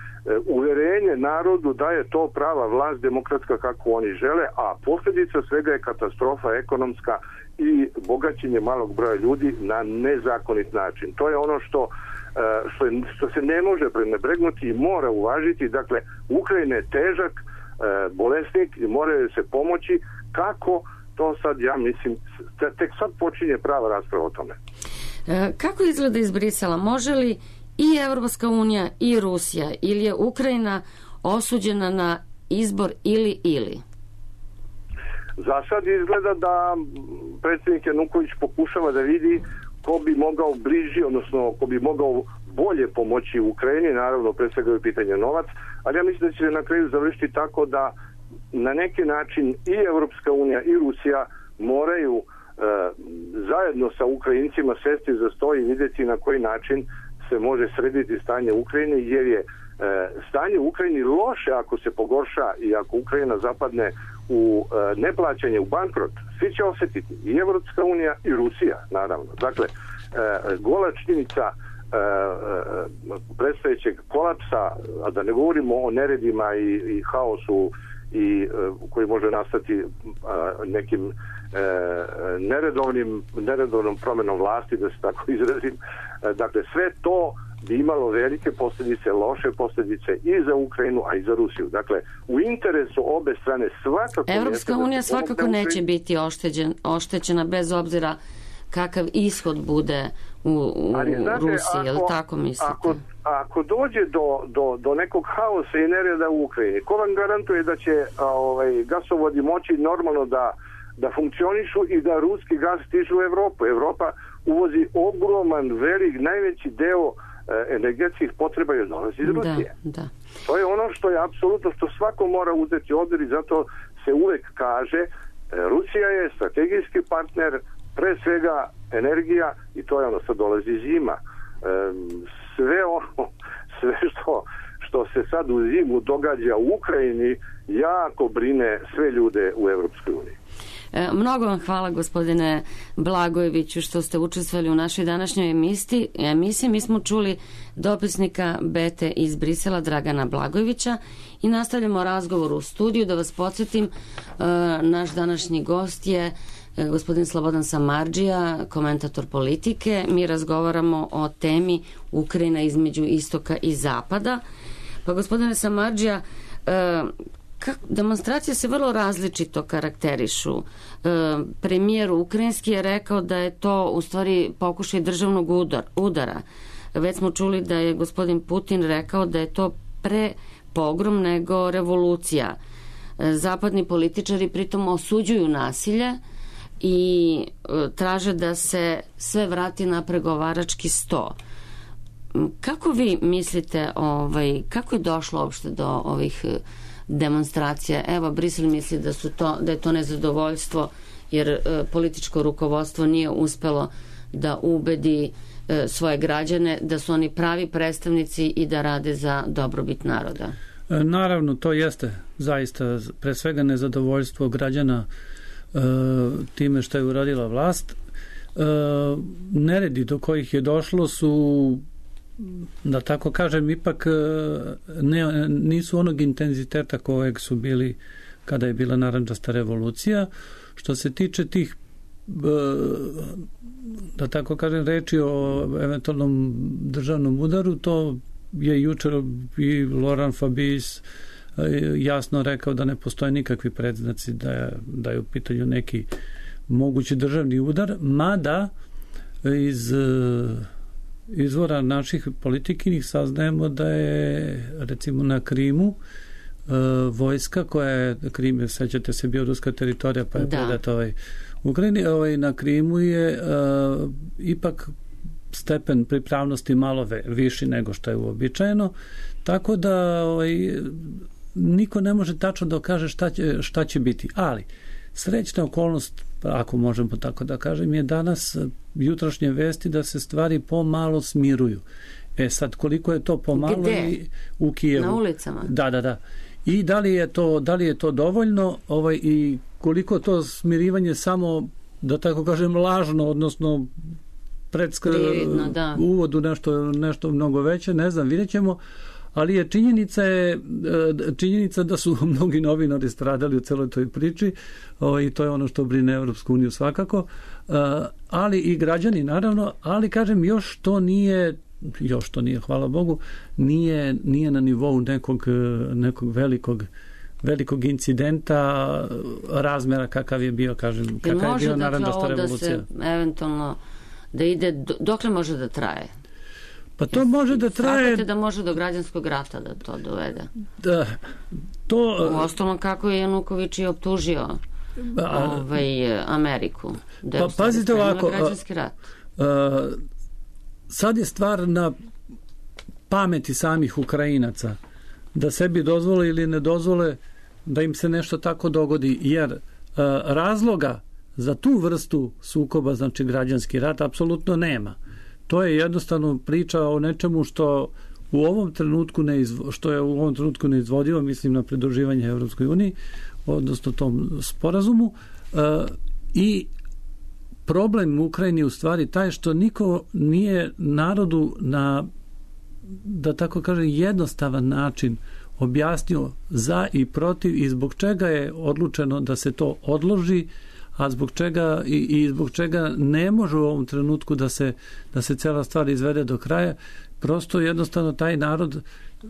uverenje narodu da je to prava vlast demokratska kako oni žele, a posljedica svega je katastrofa ekonomska i bogaćenje malog broja ljudi na nezakonit način. To je ono što Što, je, što se ne može prenebregnuti i mora uvažiti. Dakle, Ukrajina je težak e, bolesnik i moraju se pomoći. Kako? To sad, ja mislim, tek sad počinje prava rasprava o tome. E, kako izgleda iz Brisela? Može li i Evropska unija i Rusija, ili je Ukrajina osuđena na izbor ili ili? Za sad izgleda da predsjednik Januković pokušava da vidi ko bi mogao bliži, odnosno ko bi mogao bolje pomoći Ukrajini, naravno pre svega je pitanje novac, ali ja mislim da će se na kraju završiti tako da na neki način i Evropska unija i Rusija moraju e, zajedno sa Ukrajincima sesti za sto i vidjeti na koji način se može srediti stanje u Ukrajini, jer je e, stanje u Ukrajini loše ako se pogorša i ako Ukrajina zapadne u e, neplaćanje, u bankrot. Svi će osjetiti, i Evropska unija i Rusija, naravno. Dakle, e, gola činjenica e, predstojećeg kolapsa, a da ne govorimo o neredima i, i haosu i e, koji može nastati a, nekim e, neredovnim, neredovnom promenom vlasti, da se tako izrazim. E, dakle, sve to bi imalo velike posljedice, loše posljedice i za Ukrajinu, a i za Rusiju. Dakle, u interesu obe strane svakako... Evropska unija svakako neće biti ošteđen, oštećena bez obzira kakav ishod bude u, u Ali, znate, Rusiji, je li tako mislite? Ako, ako dođe do, do, do nekog haosa i nereda u Ukrajini, ko vam garantuje da će a, ovaj, gasovodi moći normalno da, da funkcionišu i da ruski gas stiže u Evropu? Evropa uvozi ogroman, velik, najveći deo energetskih potreba je dolazi iz Rusije. Da, da. To je ono što je apsolutno, što svako mora uzeti obzir i zato se uvek kaže Rusija je strategijski partner, pre svega energija, i to je ono, sad dolazi zima. Sve ono, sve što, što se sad u zimu događa u Ukrajini jako brine sve ljude u Evropskoj uniji. E, mnogo vam hvala, gospodine Blagojeviću, što ste učestvovali u našoj današnjoj emisiji. emisiji. Mi smo čuli dopisnika Bete iz Brisela, Dragana Blagojevića, i nastavljamo razgovor u studiju. Da vas podsjetim, e, naš današnji gost je e, gospodin Slobodan Samardžija, komentator politike. Mi razgovaramo o temi Ukrajina između istoka i zapada. Pa, gospodine Samardžija, e, Kako, demonstracije se vrlo različito karakterišu. E, premijer ukrajinski je rekao da je to u stvari pokušaj državnog udar, udara. Već smo čuli da je gospodin Putin rekao da je to pre pogrom nego revolucija. E, zapadni političari pritom osuđuju nasilje i e, traže da se sve vrati na pregovarački sto. Kako vi mislite, ovaj, kako je došlo uopšte do ovih demonstracija? Evo, Brisel misli da su to, da je to nezadovoljstvo jer e, političko rukovodstvo nije uspelo da ubedi e, svoje građane da su oni pravi predstavnici i da rade za dobrobit naroda. E, naravno, to jeste zaista pre svega nezadovoljstvo građana e, time što je uradila vlast. E, neredi do kojih je došlo su, da tako kažem, ipak ne, nisu onog intenziteta kojeg su bili kada je bila narandžasta revolucija. Što se tiče tih, da tako kažem, reči o eventualnom državnom udaru, to je jučer i Laurent Fabius jasno rekao da ne postoje nikakvi predznaci da je, da je u pitanju neki mogući državni udar, mada iz izvora naših politikinih saznajemo da je recimo na Krimu vojska koja je, Krim je, sećate se, bio ruska teritorija pa je da. predata ovaj Ukrajini, ovaj, na Krimu je uh, ipak stepen pripravnosti malo ve, viši nego što je uobičajeno, tako da ovaj, niko ne može tačno da kaže šta će, šta će biti, ali srećna okolnost, ako možemo tako da kažem, je danas jutrošnje vesti da se stvari pomalo smiruju. E sad, koliko je to pomalo? Gde? U Kijevu. Na ulicama? Da, da, da. I da li je to, da li je to dovoljno ovaj, i koliko to smirivanje samo, da tako kažem, lažno, odnosno predska, Prividno, da. uvodu nešto, nešto mnogo veće, ne znam, vidjet ćemo, ali je činjenica, je, činjenica da su mnogi novinari stradali u celoj toj priči ovaj, i to je ono što brine Evropsku uniju svakako, ali i građani naravno, ali kažem, još to nije još to nije, hvala Bogu, nije, nije na nivou nekog, nekog velikog velikog incidenta razmera kakav je bio, kažem, kakav je bio narandžasta revolucija. Da se eventualno da ide, dokle može da traje? Pa to može da traje... Smatrate da može do građanskog rata da to dovede? Da, to... U ostalom, kako je Januković i optužio a, ovaj, Ameriku. Da je pa, pazite ovako... građanski rat. A, a, sad je stvar na pameti samih Ukrajinaca da sebi dozvole ili ne dozvole da im se nešto tako dogodi, jer a, razloga za tu vrstu sukoba, znači građanski rat, apsolutno nema. To je jednostavno priča o nečemu što u ovom trenutku ne izvo, što je u ovom trenutku neizvodivo, mislim na pridruživanje Evropskoj uniji, odnosno tom sporazumu, a, i problem u Ukrajini u stvari taj što niko nije narodu na, da tako kažem, jednostavan način objasnio za i protiv i zbog čega je odlučeno da se to odloži, a zbog čega i, i zbog čega ne može u ovom trenutku da se, da se cela stvar izvede do kraja. Prosto jednostavno taj narod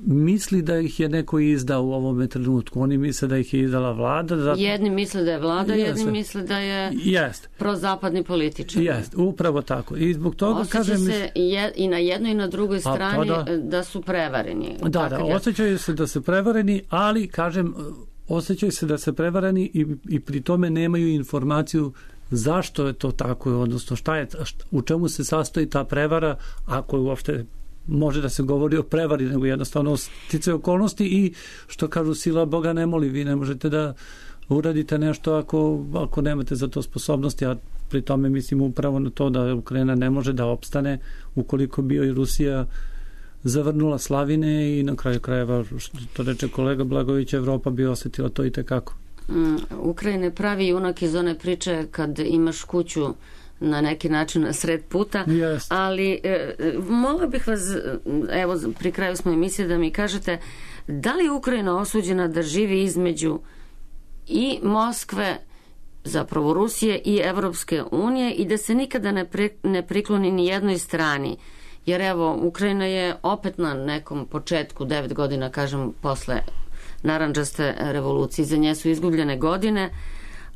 misli da ih je neko izdao u ovom trenutku. Oni misle da ih je izdala vlada. Zato... Jedni misle da je vlada, Jeste. jedni misle da je Jest. prozapadni političar. Jest, upravo tako. I zbog toga osjeća kažem... se je, i na jednoj i na drugoj strani da. da su prevareni. Da, da, osjećaju se da se prevareni, ali kažem, osjećaju se da se prevareni i, i pri tome nemaju informaciju zašto je to tako, odnosno šta je, šta, u čemu se sastoji ta prevara, ako je uopšte može da se govori o prevari, nego jednostavno sticaje okolnosti i što kažu, sila Boga ne moli, vi ne možete da uradite nešto ako, ako nemate za to sposobnosti, a pri tome mislim upravo na to da Ukrajina ne može da opstane ukoliko bio i Rusija zavrnula slavine i na kraju krajeva, što to reče kolega Blagović, Evropa bi osetila to i tekako. Mm, Ukrajina pravi junak iz one priče kad imaš kuću na neki način na sred puta, yes. ali e, mogla bih vas, evo pri kraju smo emisije, da mi kažete da li je Ukrajina osuđena da živi između i Moskve, zapravo Rusije i Evropske unije i da se nikada ne, pri, ne prikloni ni jednoj strani, jer evo Ukrajina je opet na nekom početku, devet godina kažem posle narandžaste revolucije, za nje su izgubljene godine,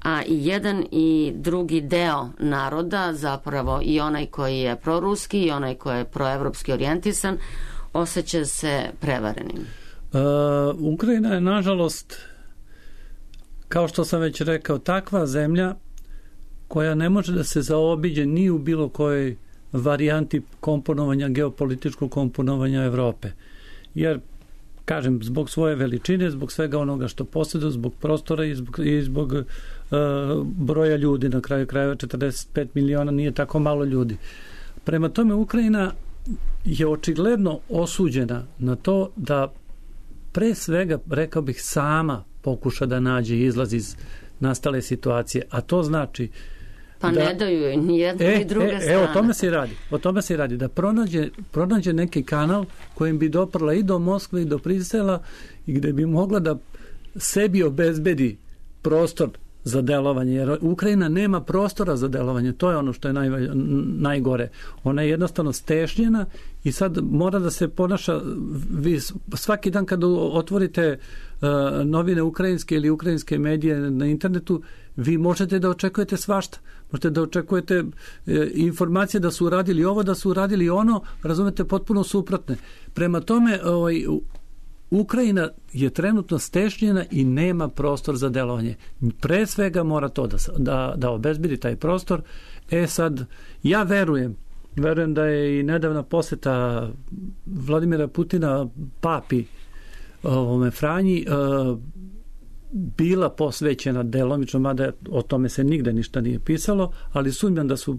a i jedan i drugi deo naroda, zapravo i onaj koji je proruski i onaj koji je proevropski orijentisan, osjeća se prevarenim. Uh, Ukrajina je, nažalost, kao što sam već rekao, takva zemlja koja ne može da se zaobiđe ni u bilo kojoj varijanti komponovanja, geopolitičkog komponovanja Evrope. Jer kažem, zbog svoje veličine, zbog svega onoga što posjeduje, zbog prostora i zbog, i zbog uh, broja ljudi, na kraju krajeva četrdeset pet miliona nije tako malo ljudi. Prema tome, Ukrajina je očigledno osuđena na to da pre svega, rekao bih, sama pokuša da nađe izlaz iz nastale situacije, a to znači pa da, ne daju joj ni jedna e, ni druga e, strana. E, o tome se i radi. O tome se i radi. Da pronađe, pronađe neki kanal kojim bi doprla i do Moskve i do Brisela i gde bi mogla da sebi obezbedi prostor za delovanje, jer Ukrajina nema prostora za delovanje, to je ono što je naj, najgore. Ona je jednostavno stešnjena i sad mora da se ponaša, vi svaki dan kad otvorite uh, novine ukrajinske ili ukrajinske medije na internetu, vi možete da očekujete svašta. Možete da očekujete uh, informacije da su uradili ovo, da su uradili ono, razumete, potpuno suprotne. Prema tome, ovaj, Ukrajina je trenutno stešnjena i nema prostor za delovanje. Pre svega mora to da, da, da obezbedi taj prostor. E sad, ja verujem, verujem da je i nedavna poseta Vladimira Putina papi ovome Franji uh, bila posvećena delomično, mada o tome se nigde ništa nije pisalo, ali sumnjam da su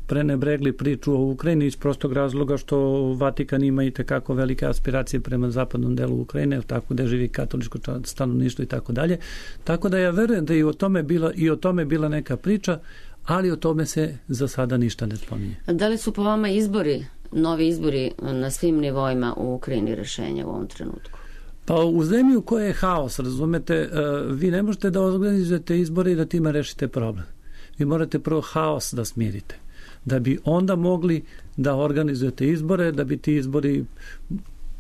prenebregli priču o Ukrajini iz prostog razloga što Vatikan ima i tekako velike aspiracije prema zapadnom delu Ukrajine, tako da živi katoličko stanovništvo i tako dalje. Tako da ja verujem da i o tome bila, i o tome bila neka priča, ali o tome se za sada ništa ne spominje. Da li su po vama izbori, novi izbori na svim nivoima u Ukrajini rešenja u ovom trenutku? Pa u zemlji u kojoj je haos, razumete, vi ne možete da organizujete izbore i da time rešite problem. Vi morate prvo haos da smirite, da bi onda mogli da organizujete izbore, da bi ti izbori,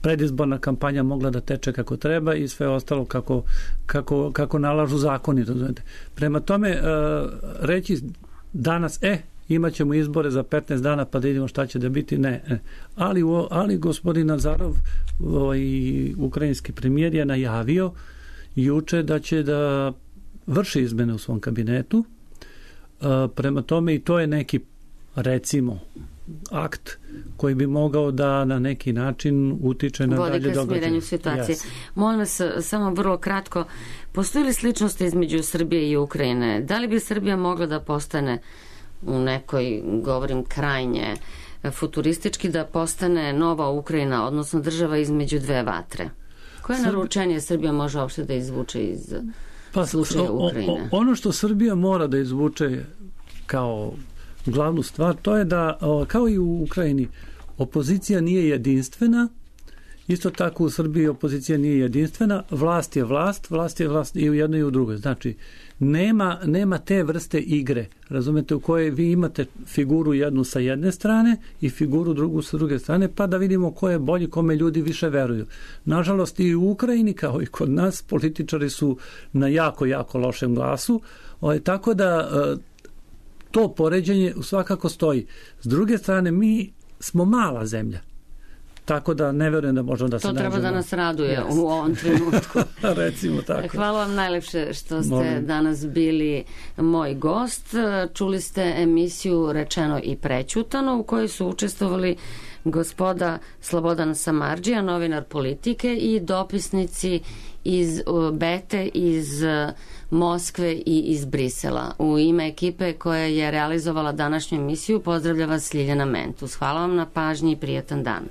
predizborna kampanja mogla da teče kako treba i sve ostalo kako, kako, kako nalažu zakoni. Razumete. Prema tome, reći danas, e, imat ćemo izbore za petnaest dana pa da vidimo šta će da biti, ne. ne. Ali, ali gospodin Azarov, ovaj, ukrajinski premijer, je najavio juče da će da vrši izmene u svom kabinetu. Prema tome i to je neki, recimo, akt koji bi mogao da na neki način utiče na dalje događaje. Vodi ka smirenju situacije. Yes. Molim vas, samo vrlo kratko, postoji li sličnosti između Srbije i Ukrajine? Da li bi Srbija mogla da postane u nekoj, govorim krajnje futuristički, da postane nova Ukrajina, odnosno država između dve vatre? Koje Srb... naručenje Srbija može uopšte da izvuče iz pa, slučaja Ukrajine? Ono što Srbija mora da izvuče kao glavnu stvar, to je da, kao i u Ukrajini, opozicija nije jedinstvena, isto tako u Srbiji opozicija nije jedinstvena, vlast je vlast, vlast je vlast i u jednoj i u drugoj. Znači, nema, nema te vrste igre, razumete, u kojoj vi imate figuru jednu sa jedne strane i figuru drugu sa druge strane, pa da vidimo ko je bolji, kome ljudi više veruju. Nažalost, i u Ukrajini, kao i kod nas, političari su na jako, jako lošem glasu, o, tako da to poređenje svakako stoji. S druge strane, mi smo mala zemlja. Tako da ne verujem da možemo da se nađemo. To treba da nas raduje yes. u ovom trenutku. Recimo tako. Hvala vam najlepše što ste Molim. danas bili moj gost. Čuli ste emisiju Rečeno i prećutano u kojoj su učestvovali gospoda Slobodan Samardžija, novinar Politike, i dopisnici iz Bete, iz Moskve i iz Brisela. U ime ekipe koja je realizovala današnju emisiju pozdravlja vas Ljiljana Mentus. Hvala vam na pažnji i prijatan dan.